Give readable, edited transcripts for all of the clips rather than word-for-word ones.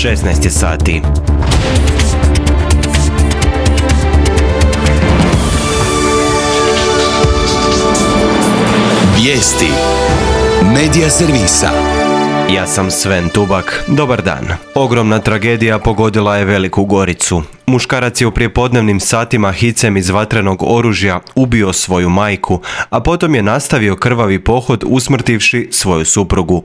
16 je sati. Vijesti Medija servisa. Ja sam Sven Tubak, dobar dan. Ogromna tragedija pogodila je Veliku Goricu. Muškarac je u prijepodnevnim satima hicem iz vatrenog oružja ubio svoju majku, a potom je nastavio krvavi pohod usmrtivši svoju suprugu.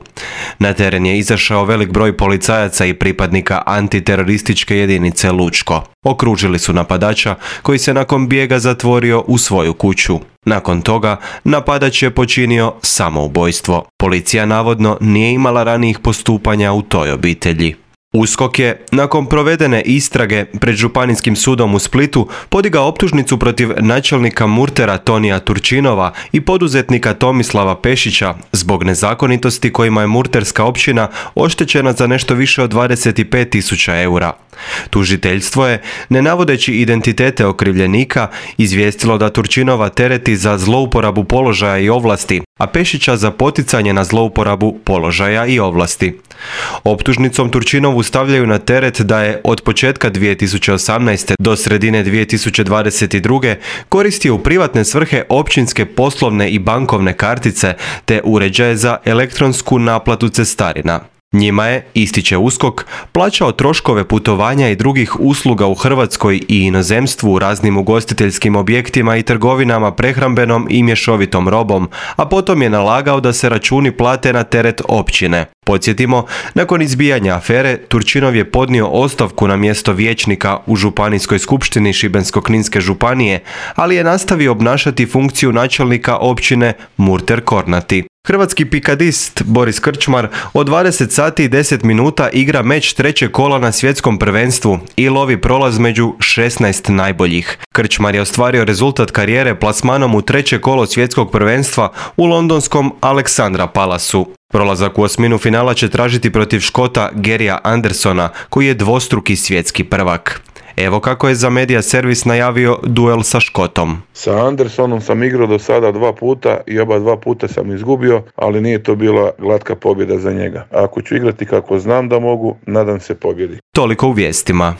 Na teren je izašao velik broj policajaca i pripadnika antiterorističke jedinice Lučko. Okružili su napadača koji se nakon bijega zatvorio u svoju kuću. Nakon toga napadač je počinio samoubojstvo. Policija navodno nije imala ranijih postupanja u toj obitelji. USKOK je, nakon provedene istrage pred Županijskim sudom u Splitu, podigao optužnicu protiv načelnika Murtera Tonija Turčinova i poduzetnika Tomislava Pešića zbog nezakonitosti kojima je Murterska općina oštećena za nešto više od 25.000 eura. Tužiteljstvo je, ne navodeći identitete okrivljenika, izvijestilo da Turčinova tereti za zlouporabu položaja i ovlasti, a Pešića za poticanje na zlouporabu položaja i ovlasti. Optužnicom Turčinovu stavljaju na teret da je od početka 2018. do sredine 2022. koristio u privatne svrhe općinske poslovne i bankovne kartice te uređaje za elektronsku naplatu cestarina. Njima je, ističe USKOK, plaćao troškove putovanja i drugih usluga u Hrvatskoj i inozemstvu u raznim ugostiteljskim objektima i trgovinama prehrambenom i mješovitom robom, a potom je nalagao da se računi plate na teret općine. Podsjetimo, nakon izbijanja afere, Turčinov je podnio ostavku na mjesto vijećnika u Županijskoj skupštini Šibensko-kninske županije, ali je nastavio obnašati funkciju načelnika općine Murter Kornati. Hrvatski pikadist Boris Krčmar od 20 sati i 10 minuta igra meč trećeg kola na svjetskom prvenstvu i lovi prolaz među 16 najboljih. Krčmar je ostvario rezultat karijere plasmanom u treće kolo svjetskog prvenstva u londonskom Aleksandra Palasu. Prolazak u osminu finala će tražiti protiv Škota Garyja Andersona, koji je dvostruki svjetski prvak. Evo kako je za Medija servis najavio duel sa Škotom. Sa Andersonom sam igrao do sada 2 puta i oba 2 puta sam izgubio, ali nije to bila glatka pobjeda za njega. Ako ću igrati kako znam da mogu, nadam se pobjedi. Toliko u vijestima.